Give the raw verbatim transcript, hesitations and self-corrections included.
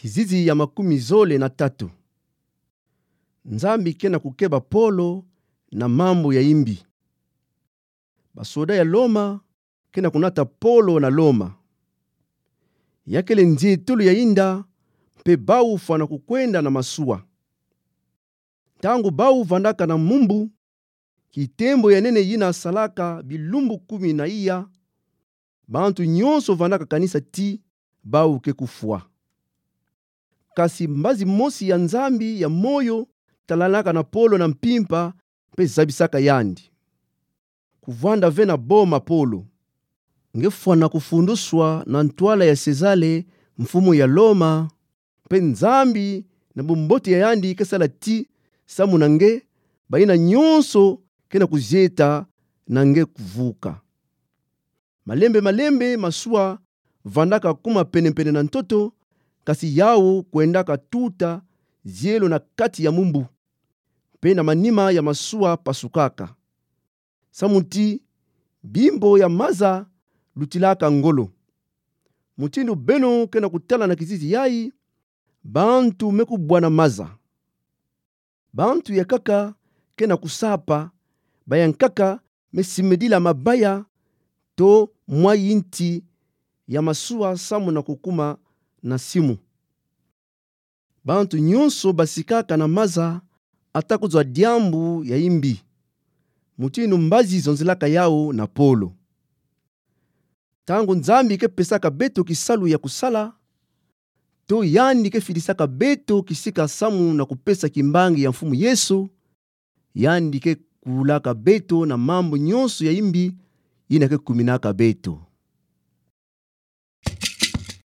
Kizizi ya makumi zole na tatu. Nzambi ke na kukeba Polo na mambu ya imbi. Basoda ya Loma ke na kunata Polo na Loma. Ya kele nzietulu ya inda, mpe bau fwana kukwenda na masuwa. Ntangu bau vandaka na mumbu, kitembo ya nene yina salaka bilumbu kumi na iya, bantu nyonso vandaka kanisa ti bau ke kufwa. Kasi mbazi mosi ya Nzambi ya moyo talalaka na Polo na mpimpa mpe zabisaka yandi. Kuvwanda ve na boma Polo. Nge fwana kufunduswa na ntwala ya Sezare, mfumu ya Loma, mpe Nzambi na bumbote ya yandi ke sala ti samu na nge, bayina nyonso ke na kuzieta na nge kuvuka. Malembe malembe masuwa vandaka kuma penepene na ntoto, kasi yau kwendaka tuta zielo na kati ya mumbu, mpe na manima ya masuwa pasukaka. Samu ti bimbo ya maza lutilaka ngolo. Mutindu beno ke na kutala na kizizi yayi, bantu me kubwa na maza. Bantu ya nkaka ke na kusapa, baya nkaka me simedila mabaya to mwayi nti ya masuwa samu na kukuma na simu. Bantu nyonso basikaka na maza, ata kuzwa diambu ya imbi. Mutindu mbazi zonzelaka yau na Polo. Ntangu Nzambi ke pesaka beto kisalu ya kusala, to yandi ke fidisaka beto kisika samu na kupesa kimbangi ya Mfumu Yesu, yandi ke kulaka beto na mambu nyonso ya imbi yina ke kuminaka beto.